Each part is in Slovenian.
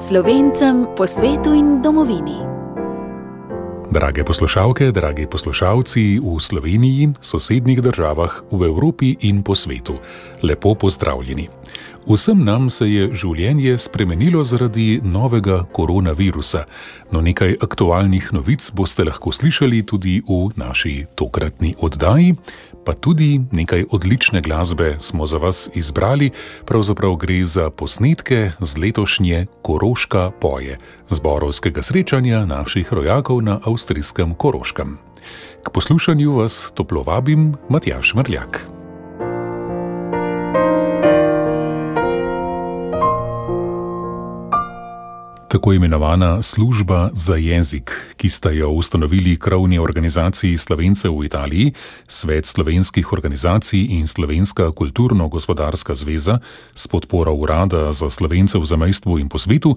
Slovencem po svetu in domovini. Drage poslušalke, dragi poslušalci v Sloveniji, sosednjih državah, v Evropi in po svetu, lepo pozdravljeni. Vsem nam se je življenje spremenilo zaradi novega koronavirusa, no nekaj aktualnih novic boste lahko slišali tudi v naši tokratni oddaji, pa tudi nekaj odlične glasbe smo za vas izbrali, pravzaprav gre za posnetke z letošnje Koroška poje, zborovskega srečanja naših rojakov na avstrijskem Koroškem. K poslušanju vas toplo vabim, Matjaž Mrljak. Tako imenovana služba za jezik, ki sta jo ustanovili krovni organizaciji Slovencev v Italiji, Svet slovenskih organizacij in Slovenska kulturno-gospodarska zveza s podporo Urada za Slovence v zamejstvu in po svetu,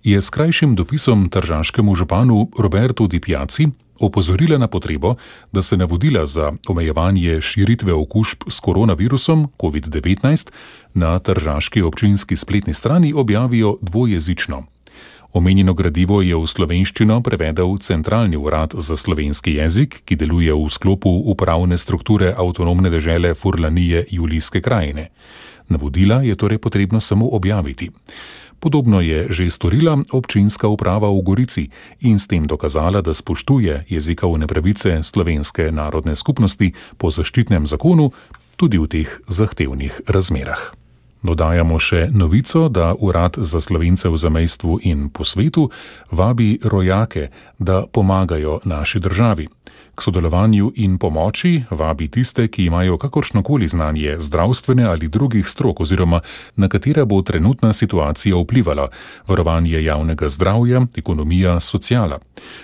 je s krajšim dopisom tržaškemu županu Robertu Di Piazzi opozorila na potrebo, da se navodila za omejevanje širitve okužb s koronavirusom COVID-19 na tržaški občinski spletni strani objavijo dvojezično. Omenjeno gradivo je v slovenščino prevedel Centralni urad za slovenski jezik, ki deluje v sklopu upravne strukture avtonomne dežele Furlanije Julijske krajine. Navodila je torej potrebno samo objaviti. Podobno je že storila občinska uprava v Gorici in s tem dokazala, da spoštuje jezikovne pravice slovenske narodne skupnosti po zaščitnem zakonu tudi v teh zahtevnih razmerah. Dodajamo še novico, da Urad za Slovence v zamejstvu in po svetu vabi rojake, da pomagajo naši državi. K sodelovanju in pomoči vabi tiste, ki imajo kakršnokoli znanje zdravstvene ali drugih strok oziroma na katera bo trenutna situacija vplivala, varovanje javnega zdravja, ekonomija, sociala.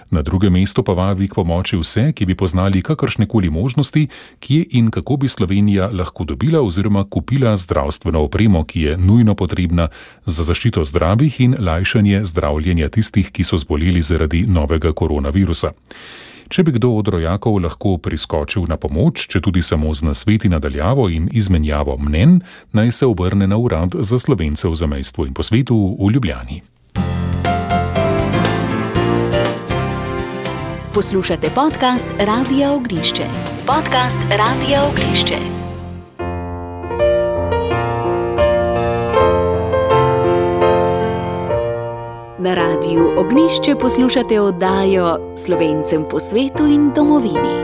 Na drugem mestu pa vabi k pomoči vse, ki bi poznali kakršnekoli možnosti, kje in kako bi Slovenija lahko dobila oziroma kupila zdravstveno opremo, ki je nujno potrebna za zaščito zdravih in lajšanje zdravljenja tistih, ki so zboleli zaradi novega koronavirusa. Če bi kdo od rojakov lahko priskočil na pomoč, če tudi samo z nasveti nadaljavo in izmenjavo mnenj, naj se obrne na Urad za Slovence v zamejstvu in po svetu v Ljubljani. Poslušate podcast Radia Ognjišče. Podcast Radia Ognjišče. Na Radiju Ognjišče poslušate oddajo Slovencem po svetu in domovini.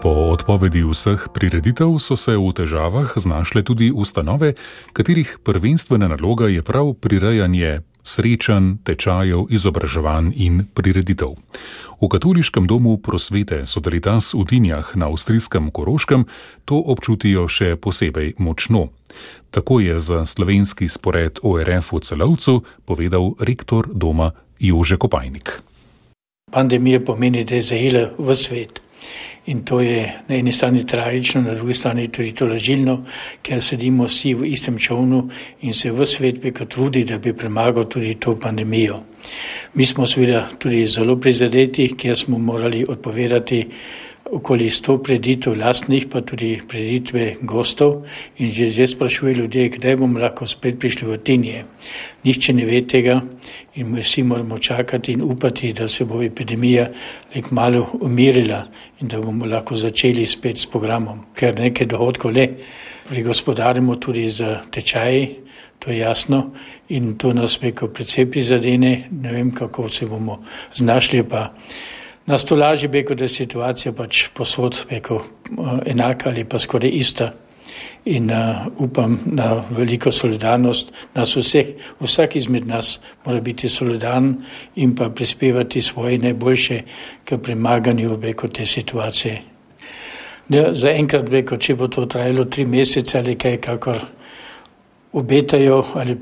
Po odpovedi vseh prireditev so se v težavah znašle tudi ustanove, katerih prvenstvena naloga je prav prirejanje srečanj, tečajev, izobraževanj in prireditev. V Katoliškem domu prosvete Sodaritas v Tinjah na avstrijskem Koroškem to občutijo še posebej močno. Tako je za slovenski spored ORF v Celovcu povedal rektor doma Jože Kopajnik. Pandemija pomeni, da je zajela v svet. In to je na eni strani tragično, na drugi strani tudi tolažilno, ker sedimo vsi v istem čovnu in se v svet peka trudi, da bi premagal tudi to pandemijo. Mi smo seveda tudi zelo prizadeti, ker smo morali odpovedati okoli 100 prireditev lastnih, pa tudi prireditve gostov in že zdaj sprašuje ljudje, kdaj bomo lahko spet prišli v Tinje. Nihče ne ve tega in vsi moramo čakati in upati, da se bo epidemija malo umirila in da bomo lahko začeli spet s programom. Ker nekaj dohodkov le prigospodarimo tudi za tečaji, to je jasno in to nas predvsej prizadene, ne vem kako se bomo znašli, pa nas to lažje, da je situacija pač posod enaka ali pa skoraj ista in upam na veliko solidarnost nas vseh. Vsak izmed nas mora biti solidaren in pa prispevati svoje najboljše k premaganju te situacije. Za enkrat, če bo to trajalo 3 mesece ali kaj, kakor obetajo ali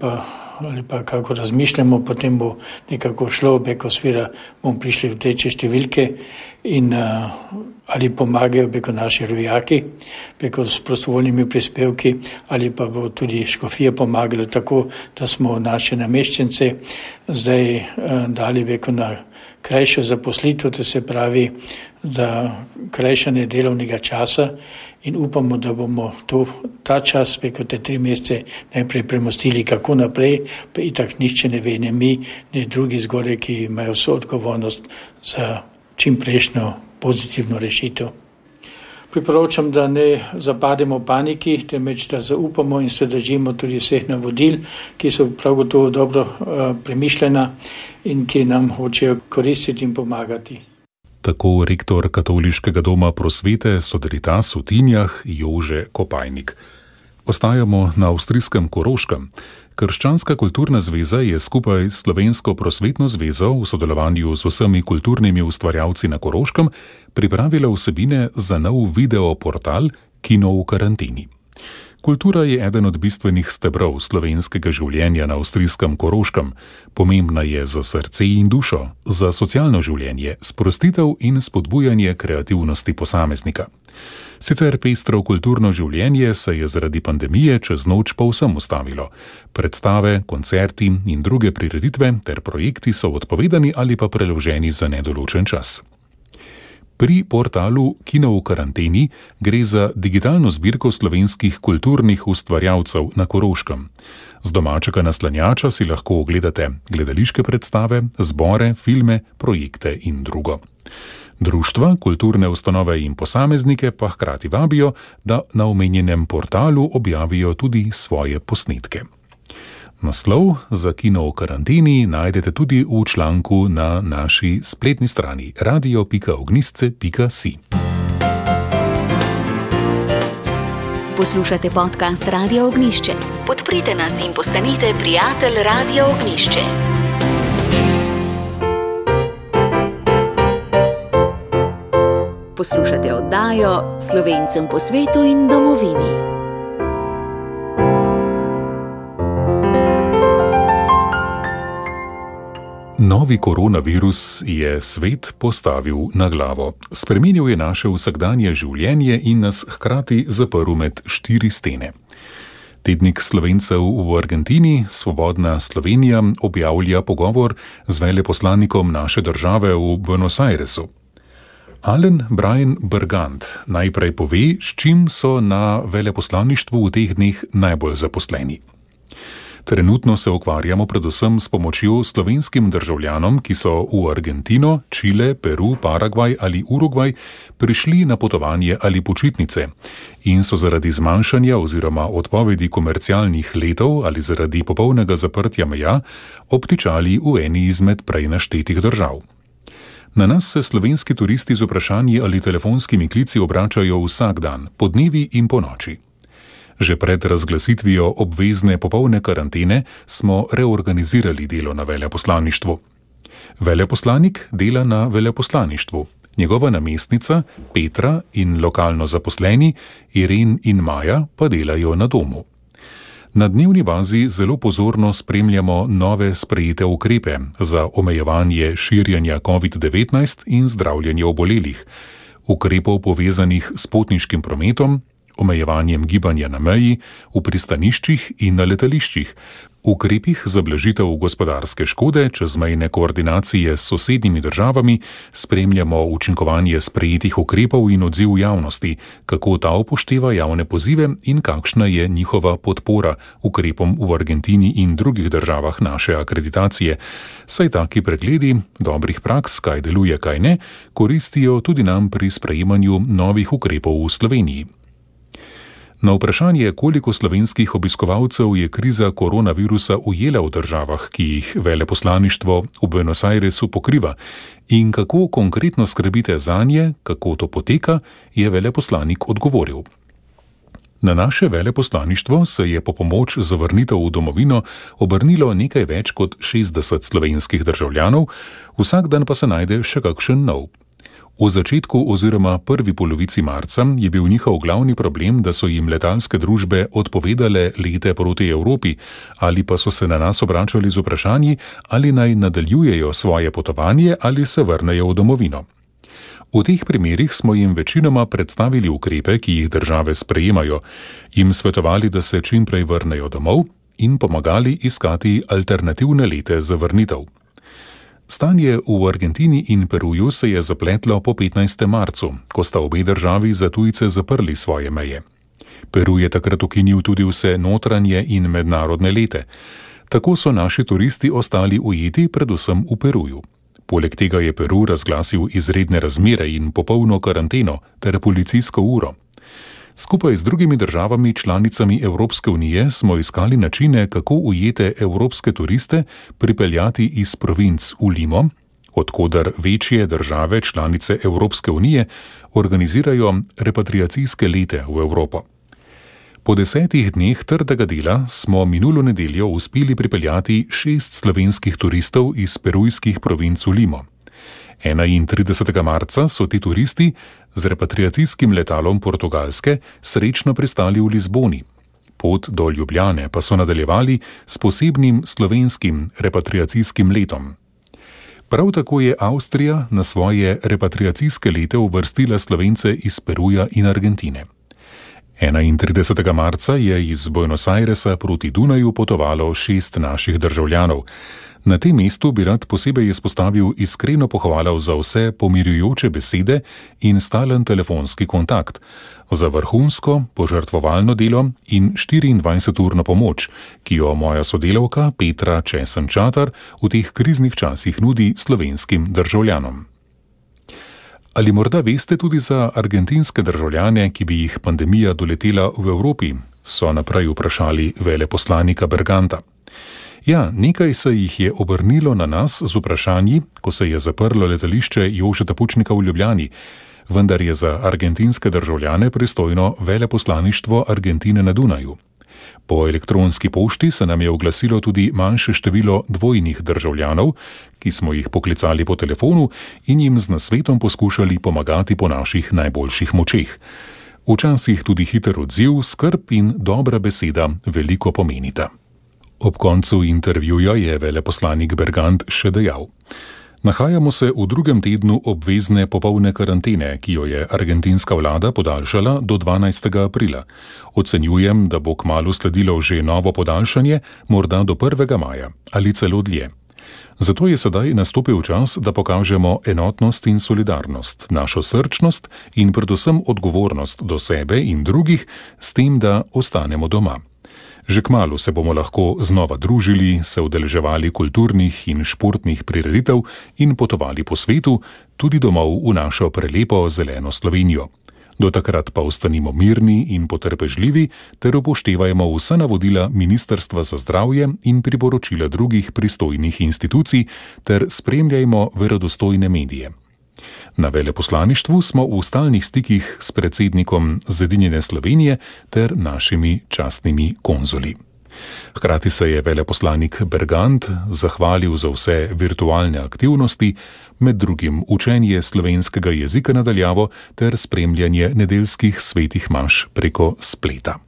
pa kako razmišljamo, potem bo nekako šlo, svira bomo prišli v teče številke in ali pomagajo preko naši rojaki, preko s prostovoljnimi prispevki, ali pa bo tudi škofija pomagala tako, da smo naše nameščence zdaj dali preko na krajšo zaposlitev, to se pravi za krajšanje delovnega časa in upamo, da bomo ta čas preko te 3 mesece najprej premostili, kako naprej, pa itak nišče ne ve, ne mi, ne drugi zgore, ki imajo vso odgovornost za čim prejšnjo pozitivno rešitev. Priporočam, da ne zapademo paniki, temveč da zaupamo in se držimo tudi vseh navodil, ki so prav gotovo dobro premišljena in ki nam hočejo koristiti in pomagati. Tako rektor Katoliškega doma prosvete Sodaritas v Tinjah Jože Kopajnik. Ostajamo na avstrijskem Koroškem. Krščanska kulturna zveza je skupaj s Slovensko prosvetno zvezo v sodelovanju z vsemi kulturnimi ustvarjalci na Koroškem pripravila vsebine za nov video portal Kino v karanteni. Kultura je eden od bistvenih stebrov slovenskega življenja na avstrijskem Koroškem. Pomembna je za srce in dušo, za socialno življenje, sprostitev in spodbujanje kreativnosti posameznika. Sicer pestro kulturno življenje se je zaradi pandemije čez noč povsem ustavilo. Predstave, koncerti in druge prireditve ter projekti so odpovedani ali pa preloženi za nedoločen čas. Pri portalu Kino v karanteni gre za digitalno zbirko slovenskih kulturnih ustvarjalcev na Koroškem. Z domačega naslanjača si lahko ogledate gledališke predstave, zbore, filme, projekte in drugo. Društva, kulturne ustanove in posameznike pa hkrati vabijo, da na omenjenem portalu objavijo tudi svoje posnetke. Naslov za Kino v karanteni najdete tudi v članku na naši spletni strani radio.ognisce.si. Poslušate podcast Radio Ognišče. Podprite nas in postanite prijatelj Radio Ognišče. Poslušate oddajo Slovencem po svetu in domovini. Novi koronavirus je svet postavil na glavo. Spremenil je naše vsakdanje življenje in nas hkrati zaprl med 4 stene. Tednik Slovencev v Argentini, Svobodna Slovenija, objavlja pogovor z veleposlanikom naše države v Buenos Airesu. Alen Brian Bergant najprej pove, s čim so na veleposlaništvu v teh dneh najbolj zaposleni. Trenutno se ukvarjamo predvsem s pomočjo slovenskim državljanom, ki so v Argentino, Čile, Peru, Paragvaj ali Urugvaj prišli na potovanje ali počitnice in so zaradi zmanjšanja oziroma odpovedi komercialnih letov ali zaradi popolnega zaprtja meja obtičali v eni izmed prej naštetih držav. Na nas se slovenski turisti z vprašanji ali telefonskimi klici obračajo vsak dan, po dnevi in po noči. Že pred razglasitvijo obvezne popolne karantene smo reorganizirali delo na veleposlaništvu. Veleposlanik dela na veleposlaništvu, njegova namestnica Petra in lokalno zaposleni Iren in Maja pa delajo na domu. Na dnevni bazi zelo pozorno spremljamo nove sprejete ukrepe za omejevanje širjenja COVID-19 in zdravljenje obolelih, ukrepov povezanih s potniškim prometom, omejevanjem gibanja na meji, v pristaniščih in na letališčih, ukrepih za blažitev gospodarske škode, čezmejne koordinacije s sosednjimi državami, spremljamo učinkovanje sprejetih ukrepov in odziv javnosti, kako ta upošteva javne pozive in kakšna je njihova podpora ukrepom v Argentini in drugih državah naše akreditacije. Saj taki pregledi dobrih praks, kaj deluje, kaj ne, koristijo tudi nam pri sprejemanju novih ukrepov v Sloveniji. Na vprašanje, koliko slovenskih obiskovalcev je kriza koronavirusa ujela v državah, ki jih veleposlaništvo v Buenos Airesu pokriva, in kako konkretno skrbite zanje, kako to poteka, je veleposlanik odgovoril. Na naše veleposlaništvo se je po pomoč za vrnitev v domovino obrnilo nekaj več kot 60 slovenskih državljanov, vsak dan pa se najde še kakšen nov. V začetku oziroma prvi polovici marca je bil njihov glavni problem, da so jim letalske družbe odpovedale lete proti Evropi ali pa so se na nas obračali z vprašanji, ali naj nadaljujejo svoje potovanje ali se vrnejo v domovino. V teh primerih smo jim večinoma predstavili ukrepe, ki jih države sprejemajo, jim svetovali, da se čim prej vrnejo domov in pomagali iskati alternativne lete za vrnitev. Stanje v Argentini in Peruju se je zapletlo po 15. marcu, ko sta obe državi za tujce zaprli svoje meje. Peru je takrat ukinil tudi vse notranje in mednarodne lete. Tako so naši turisti ostali ujeti predvsem v Peruju. Poleg tega je Peru razglasil izredne razmere in popolno karanteno ter policijsko uro. Skupaj z drugimi državami članicami Evropske unije smo iskali načine, kako ujete evropske turiste pripeljati iz provinc v Limo, odkoder večje države članice Evropske unije organizirajo repatriacijske lete v Evropo. Po 10 dneh trdega dela smo minulo nedeljo uspeli pripeljati 6 slovenskih turistov iz perujskih provinc v Limo. 31. marca so ti turisti z repatriacijskim letalom Portugalske srečno pristali v Lizboni. Pot do Ljubljane pa so nadaljevali s posebnim slovenskim repatriacijskim letom. Prav tako je Avstrija na svoje repatriacijske lete uvrstila Slovence iz Peruja in Argentine. 31. marca je iz Buenos Airesa proti Dunaju potovalo 6 naših državljanov. Na tem mestu bi rad posebej izpostavil iskreno pohvalo za vse pomirjujoče besede in stalen telefonski kontakt, za vrhunsko požrtvovalno delo in 24-urno pomoč, ki jo moja sodelavka Petra Česen-Čatar v teh kriznih časih nudi slovenskim državljanom. Ali morda veste tudi za argentinske državljane, ki bi jih pandemija doletela v Evropi, so naprej vprašali veleposlanika Berganta. Ja, nekaj se jih je obrnilo na nas z vprašanji, ko se je zaprlo letališče Jožeta Pučnika v Ljubljani, vendar je za argentinske državljane pristojno veleposlaništvo Argentine na Dunaju. Po elektronski pošti se nam je oglasilo tudi manjše število dvojnih državljanov, ki smo jih poklicali po telefonu in jim z nasvetom poskušali pomagati po naših najboljših močeh. Včasih tudi hiter odziv, skrb in dobra beseda veliko pomenita. Ob koncu intervjuja je veleposlanik Bergant še dejal: Nahajamo se v 2. tednu obvezne popolne karantene, ki jo je argentinska vlada podaljšala do 12. aprila. Ocenjujem, da bo kmalu sledilo že novo podaljšanje, morda do 1. maja ali celo dlje. Zato je sedaj nastopil čas, da pokažemo enotnost in solidarnost, našo srčnost in predvsem odgovornost do sebe in drugih, s tem, da ostanemo doma. Že kmalu se bomo lahko znova družili, se udeleževali kulturnih in športnih prireditev in potovali po svetu, tudi domov v našo prelepo zeleno Slovenijo. Do takrat pa ostanimo mirni in potrpežljivi ter upoštevajmo vsa navodila Ministrstva za zdravje in priporočila drugih pristojnih institucij ter spremljajmo verodostojne medije. Na veleposlaništvu smo v stalnih stikih s predsednikom Zedinjene Slovenije ter našimi častnimi konzuli. Hkrati se je veleposlanik Bergant zahvalil za vse virtualne aktivnosti, med drugim učenje slovenskega jezika na daljavo ter spremljanje nedeljskih svetih maš preko spleta.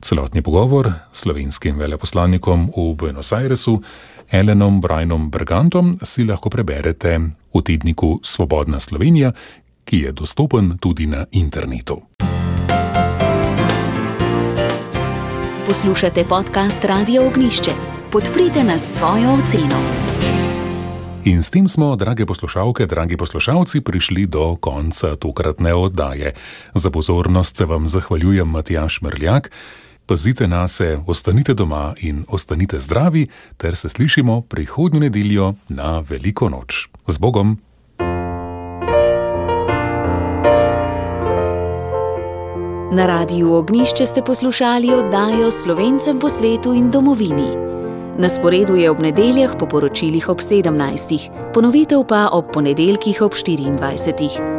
Celotni pogovor s slovenskim veleposlanikom v Buenos Airesu, Alenom Brajnom Bergantom, si lahko preberete v tedniku Svobodna Slovenija, ki je dostopen tudi na internetu. Poslušate podcast Radia Ognjišče. Podprite nas s svojo oceno. In s tem smo, drage poslušalke, dragi poslušalci, prišli do konca tokratne oddaje. Za pozornost se vam zahvaljujem Matjaž Mrljak. Pazite nase, ostanite doma in ostanite zdravi, ter se slišimo prihodnjo nedeljo na Veliko noč. Z Bogom! Na Radiu Ognjišče ste poslušali oddajo Slovencem po svetu in domovini. Na sporedu je ob nedeljah po poročilih ob 17. Ponovitev pa ob ponedeljkih ob 24.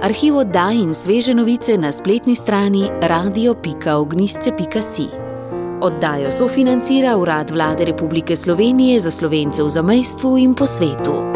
Arhiv oddaj in sveže novice na spletni strani radio.ognjisce.si. Oddajo sofinancira Urad Vlade Republike Slovenije za Slovence v zamejstvu in po svetu.